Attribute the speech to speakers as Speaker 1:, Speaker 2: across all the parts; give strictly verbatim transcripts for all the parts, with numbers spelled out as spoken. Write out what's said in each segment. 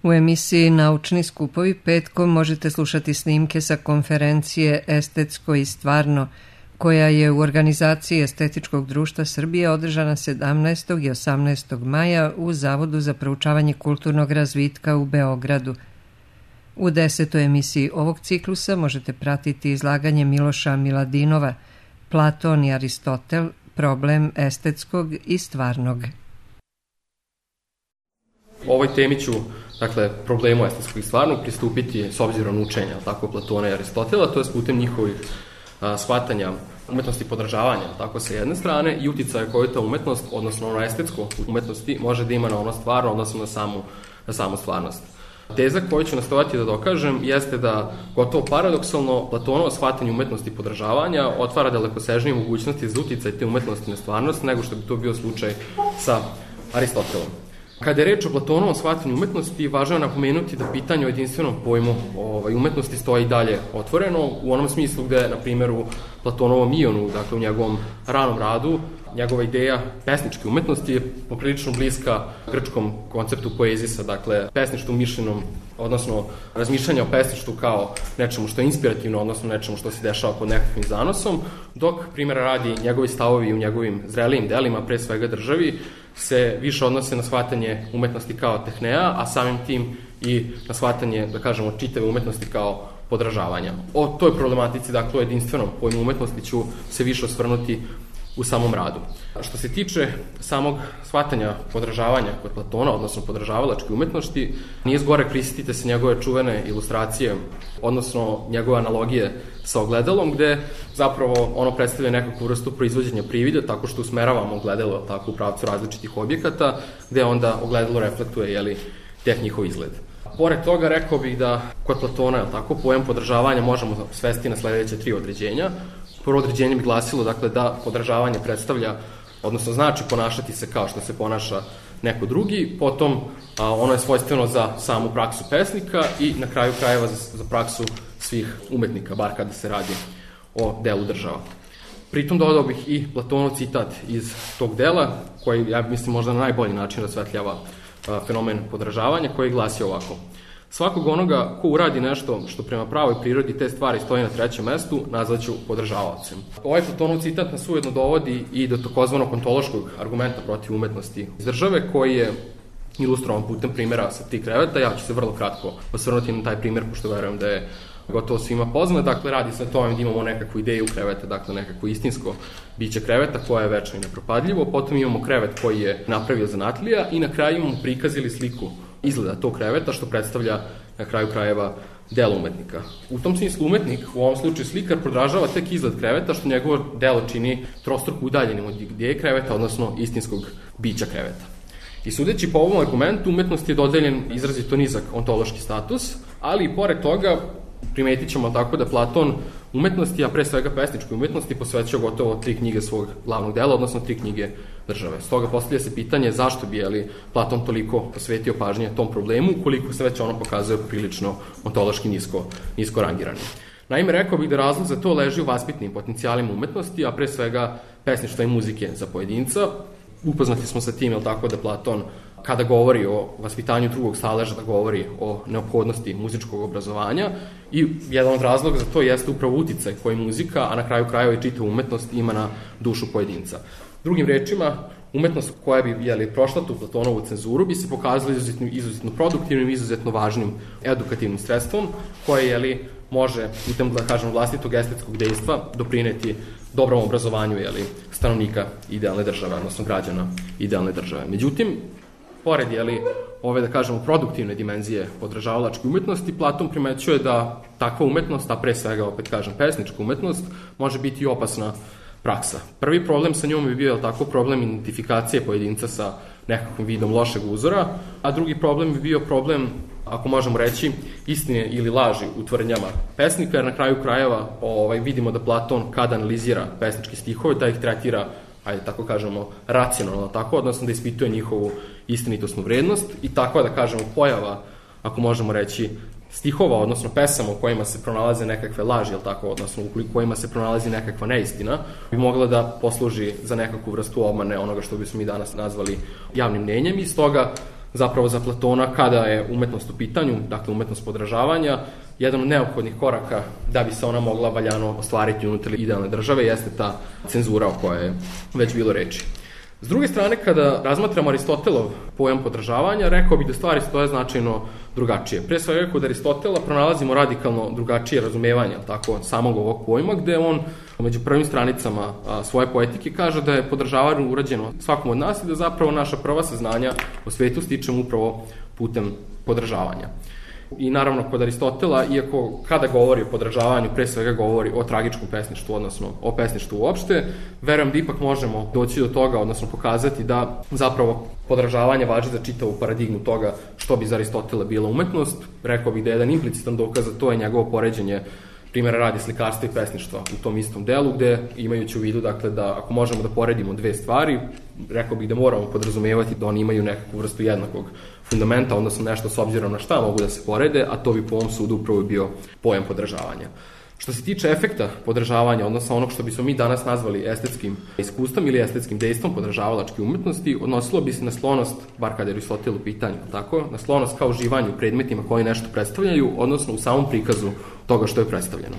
Speaker 1: U emisiji Naučni skupovi petkom možete slušati snimke sa konferencije Estetsko i stvarno, koja je u organizaciji Estetičkog društva Srbije održana sedamnaestog i osamnaestog maja u Zavodu za proučavanje kulturnog razvitka u Beogradu. U desetoj emisiji ovog ciklusa možete pratiti izlaganje Miloša Miladinova, Platon i Aristotel, problem estetskog i stvarnog.
Speaker 2: O ovoj temi ću, dakle, problemu estetskog i stvarnog pristupiti s obzirom na učenja, tako, Platona i Aristotela, to je putem njihovih a, shvatanja umetnosti podržavanja, tako, sa jedne strane, i uticaja koju ta umetnost, odnosno ono estetsko umetnosti, može da ima na ono stvarno, odnosno na samu, na samu stvarnost. Teza koju ću nastojati da dokažem jeste da, gotovo paradoksalno, Platonovo shvatanje umetnosti podržavanja otvara dalekosežnije mogućnosti za uticaj te umetnosti na stvarnost nego što bi to bio slučaj sa Aristotelom. Kada je reč o Platonovom shvatanju umetnosti, važno je napomenuti da pitanje o jedinstvenom pojmu ovaj, umetnosti stoji i dalje otvoreno, u onom smislu gde, na primjer, u Platonovom Ionu, dakle u njegovom ranom radu, njegova ideja pesničke umetnosti je poprilično bliska grčkom konceptu poezisa, dakle pesništvu mišljenom, odnosno razmišljanja o pesništvu kao nečemu što je inspirativno, odnosno nečemu što se dešava pod nekakvim zanosom, dok, primjera radi, njegovi stavovi u njegovim zrelijim delima, pre svega državi, se više odnose na shvatanje umetnosti kao tehneja, a samim tim i na shvatanje, da kažemo, čitave umetnosti kao podražavanja. O toj problematici, dakle, o jedinstvenom pojmu umetnosti ću se više osvrnuti u samom radu. Što se tiče samog shvatanja podražavanja kod Platona, odnosno podražavalačke umetnosti, nije zgore prisjetite se njegove čuvene ilustracije, odnosno njegove analogije sa ogledalom, gde zapravo ono predstavlja nekakvu vrstu proizvođenja privida, tako što usmeravamo ogledalo tako u pravcu različitih objekata, gde onda ogledalo reflektuje, jeli, tek njihov izgled. Pored toga, rekao bih da kod Platona, je tako, pojam podržavanja možemo svesti na sledeće tri određenja. Prvo određenje bi glasilo, dakle, da podržavanje predstavlja, odnosno znači ponašati se kao što se ponaša neko drugi, potom a, ono je svojstveno za samu praksu pesnika i na kraju krajeva za, za praksu svih umetnika, bar kada se radi o delu država. Pritom dodao bih i Platonov citat iz tog dela, koji, ja mislim, možda na najbolji način rasvetljava a, fenomen podržavanja, koji glasi ovako: svakog onoga ko uradi nešto što prema pravoj prirodi te stvari stoji na trećem mestu, nazvaću podržavaocem. Ovaj Platonov citat nas ujedno dovodi i do takozvanog ontološkog argumenta protiv umetnosti iz države, koji je ilustrovan putem primjera sa tri kreveta. Ja ću se vrlo kratko osvrnuti na taj primjer, pošto verujem da je gotovo svima poznat. Dakle, radi se o tome da imamo nekakvu ideju kreveta, dakle nekako istinsko biće kreveta koje je večno i nepropadljivo, potom imamo krevet koji je napravio zanatlija i na kraju imamo prikaz ili sliku izgleda tog kreveta, što predstavlja na kraju krajeva delo umetnika. U tom smislu umetnik, u ovom slučaju slikar, podražava tek izgled kreveta, što njegovo delo čini trostruko udaljenim od ideje kreveta, odnosno istinskog bića kreveta. I sudeći po ovom argumentu, umetnosti je dodeljen izrazito nizak ontološki status, ali i pored toga primetit ćemo tako da Platon umetnosti, a pre svega pesničkoj umetnosti, posvećao gotovo tri knjige svog glavnog dela, odnosno tri knjige države. Stoga postavlja se pitanje zašto bi, jeli, Platon toliko posvetio pažnje tom problemu, koliko se već ono pokazuje prilično ontološki nisko, nisko rangirani. Naime, rekao bih da razlog za to leži u vaspitnim potencijalima umetnosti, a pre svega pesništva i muzike za pojedinca. Upoznati smo sa tim, jel tako, da Platon, kada govori o vaspitanju drugog staleža, da govori o neophodnosti muzičkog obrazovanja, i jedan od razloga za to jeste upravo uticaj koji muzika, a na kraju krajeva i čitava umetnost, ima na dušu pojedinca. Drugim rečima, umetnost koja bi, jeli, prošla tu Platonovu cenzuru bi se pokazala izuzetno, izuzetno produktivnim, izuzetno važnim edukativnim sredstvom, koje, jeli, može, putem, da kažem, vlastitog estetskog dejstva doprineti dobrom obrazovanju, jeli, stanovnika idealne države, odnosno građana idealne države. Međutim, pored, jeli, ove, da kažemo, produktivne dimenzije podržavalačke umetnosti, Platon primećuje da takva umetnost, a pre svega, opet kažem, pesnička umetnost, može biti i opasna praksa. Prvi problem sa njom bi bio, tako, problem identifikacije pojedinca sa nekakvim vidom lošeg uzora, a drugi problem bi bio problem, ako možemo reći, istine ili laži u tvrdnjama pesnika, jer na kraju krajeva ovaj, vidimo da Platon, kada analizira pesničke stihove, da ih tretira, ajde tako kažemo, racionalno, tako, odnosno da ispituje njihovu istinitosnu vrednost, i takva, da kažemo, pojava, ako možemo reći, stihova, odnosno pesama u kojima se pronalaze nekakve laži, jel tako, odnosno u kojima se pronalazi nekakva neistina, bi mogla da posluži za nekakvu vrstu obmane onoga što bismo mi danas nazvali javnim mnenjem, i stoga zapravo za Platona kada je umetnost u pitanju, dakle umetnost podražavanja, jedan od neophodnih koraka da bi se ona mogla valjano ostvariti unutar idealne države jeste ta cenzura o kojoj je već bilo reči. S druge strane, kada razmatramo Aristotelov pojam podražavanja, rekao bih da stvari stoje značajno drugačije. Pre svega, kod Aristotela pronalazimo radikalno drugačije razumevanje tako, samog ovog pojma, gde on među prvim stranicama a, svoje poetike kaže da je podražavanje urađeno svakom od nas i da zapravo naša prva saznanja o svetu stičemo upravo putem podražavanja. I naravno, kod Aristotela, iako kada govori o podražavanju, pre svega govori o tragičkom pesništvu, odnosno o pesništvu uopšte, verujem da ipak možemo doći do toga, odnosno pokazati da zapravo podražavanje važi za čitavu paradigmu toga što bi za Aristotela bila umetnost. Rekao bih da je jedan implicitan dokaz, a to je njegovo poređenje primjera radi slikarstva i pesništva u tom istom delu, gde imajući u vidu dakle, da ako možemo da poredimo dve stvari, rekao bih da moramo podrazumevati da oni imaju nekakvu vrstu jednakog fundamenta, odnosno nešto s obzirom na šta mogu da se porede, a to bi po ovom sudu upravo bio pojam podražavanja. Što se tiče efekta podražavanja, odnosno onog što bismo mi danas nazvali estetskim iskustvom ili estetskim dejstvom podražavalačke umetnosti, odnosilo bi se na sklonost, bar kada je Aristotel u pitanju, tako, na sklonost kao uživanju u predmetima koji nešto predstavljaju, odnosno u samom prikazu toga što je predstavljeno.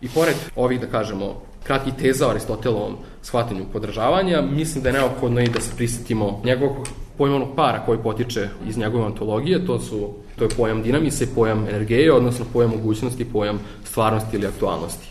Speaker 2: I pored ovih, da kažemo, kratkih teza o Aristotelovom shvatanju podražavanja, mislim da je neophodno i da se prisjetimo njegovog pojmovnog para koji potiče iz njegove ontologije, to su to je pojam dinamisa i pojam energije, odnosno pojam mogućnosti, pojam stvarnosti ili aktualnosti.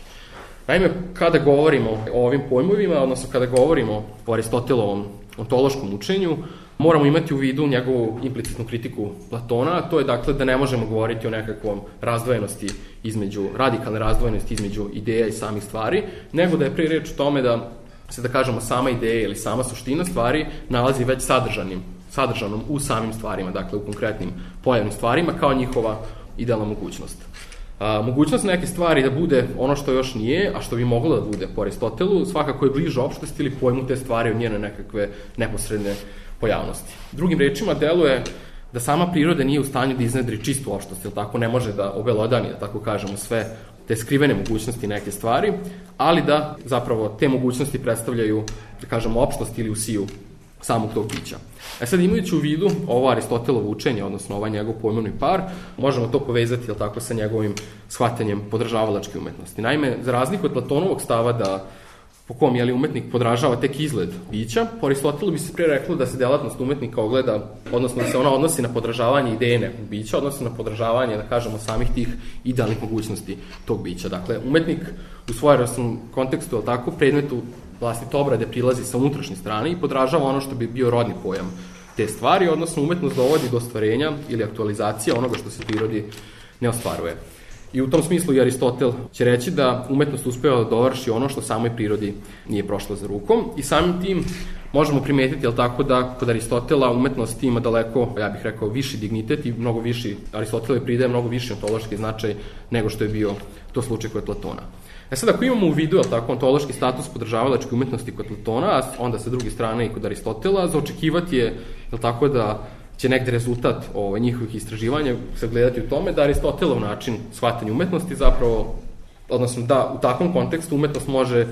Speaker 2: Naime, kada govorimo o ovim pojmovima, odnosno kada govorimo o Aristotelovom ontološkom učenju, moramo imati u vidu njegovu implicitnu kritiku Platona, a to je dakle da ne možemo govoriti o nekakvom razdvojenosti između, radikalne razdvojenosti između ideja i samih stvari, nego da je pre reč o tome da se, da kažemo, sama ideja ili sama suština stvari nalazi već sadržanim, sadržanom u samim stvarima, dakle u konkretnim pojavnim stvarima kao njihova idealna mogućnost. A, mogućnost neke stvari da bude ono što još nije, a što bi moglo da bude po Aristotelu, svakako je bliže opštosti ili pojmu te stvari od njene nekakve neposredne pojavnosti. Drugim rečima, deluje da sama priroda nije u stanju da iznedri čistu opštost, ili tako ne može da obelodani, da tako kažemo, sve te skrivene mogućnosti neke stvari, ali da zapravo te mogućnosti predstavljaju, da kažemo, opštost ili usiju samog tog bića. E sad, imajući u vidu ovo Aristotelovo učenje, odnosno ovaj njegov pojmovni par, možemo to povezati, jel tako, sa njegovim shvatanjem podražavalačke umetnosti. Naime, za razliku od Platonovog stava da po kom je li umetnik podražava tek izgled bića, po Aristotelu bi se pre reklo da se delatnost umetnika ogleda, odnosno da se ona odnosi na podražavanje ideje nekog bića, odnosno na podražavanje, da kažemo, samih tih idealnih mogućnosti tog bića. Dakle, umetnik u svojevrstnom kontekstu, jel tako, predmetu vlastite obrade prilazi sa unutrašnje strane i podražava ono što bi bio rodni pojam te stvari, odnosno umetnost dovodi do ostvarenja ili aktualizacija onoga što se prirodi ne ostvaruje. I u tom smislu i Aristotel će reći da umetnost uspeva da dovrši ono što samoj prirodi nije prošlo za rukom i samim tim možemo primetiti, jel tako, da kod Aristotela umetnost ima daleko, ja bih rekao, viši dignitet i mnogo viši, Aristotelove pridaje mnogo viši ontološki značaj nego što je bio to slučaj kod Platona. E sad, ako imamo u vidu, jel tako, ontološki status podržavalačke umetnosti kod Platona, a onda sa druge strane i kod Aristotela, za očekivati je, jel tako, da će negde rezultat o, njihovih istraživanja sagledati u tome da Aristotelov način shvatanja umetnosti zapravo, odnosno da u takvom kontekstu umetnost može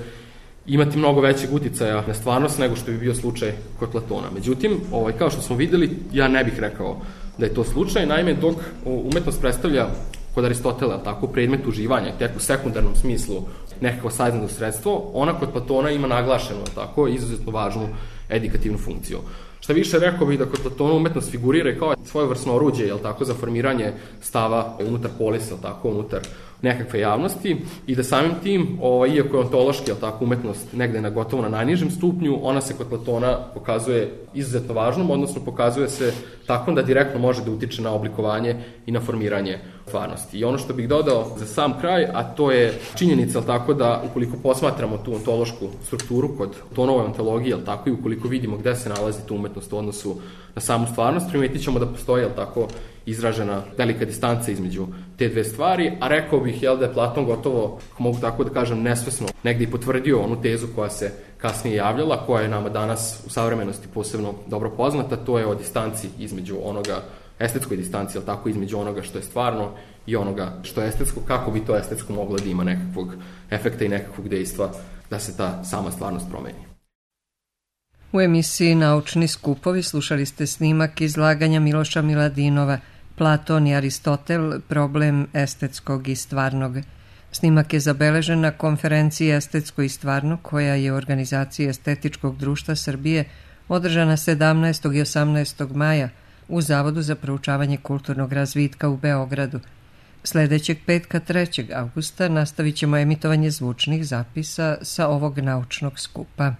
Speaker 2: imati mnogo većeg uticaja na stvarnost nego što bi bio slučaj kod Platona. Međutim, ovaj, kao što smo videli, ja ne bih rekao da je to slučaj, naime, dok umetnost predstavlja kod Aristotela tako predmet uživanja, tek u sekundarnom smislu nekako saznano sredstvo, ona kod Platona ima naglašeno tako izuzetno važnu edukativnu funkciju. Šta više, rekao bih da kod Platona umetnost figurira kao svojevrsno oruđe, jel tako, za formiranje stava unutar polisa, jel tako, unutar nekakve javnosti i da samim tim, ovaj, iako je ontološki, jel tako, umetnost negde na gotovo na najnižem stupnju, ona se kod Platona pokazuje izuzetno važnom, odnosno pokazuje se tako da direktno može da utiče na oblikovanje i na formiranje stvarnosti. I ono što bih dodao za sam kraj, a to je činjenica, jel tako, da ukoliko posmatramo tu ontološku strukturu kod Platonove ontologije, jel tako, i ukoliko vidimo gde se nalazi tu umetnost u odnosu na samu stvarnost, primetit ćemo da postoji, jel tako, izražena velika distanca između te dve stvari, a rekao bih, jel, da je Platon gotovo, mogu tako da kažem, nesvesno negde i potvrdio onu tezu koja se kasnije javljala, koja je nama danas u savremenosti posebno dobro poznata, to je o distanci između onoga, estetskoj distanci, jel tako, između onoga što je stvarno i onoga što je estetsko, kako bi to estetsko moglo da ima nekakvog efekta i nekakvog dejstva da se ta sama stvarnost promeni.
Speaker 1: U emisiji Naučni skupovi slušali ste snimak izlaganja Miloša Miladinova Platon i Aristotel, problem estetskog i stvarnog. Snimak je zabeležen na konferenciji Estetsko i stvarno koja je u organizaciji Estetičkog društva Srbije održana sedamnaestog i osamnaestog maja u Zavodu za proučavanje kulturnog razvitka u Beogradu. Sljedećeg petka trećeg avgusta nastavit ćemo emitovanje zvučnih zapisa sa ovog naučnog skupa.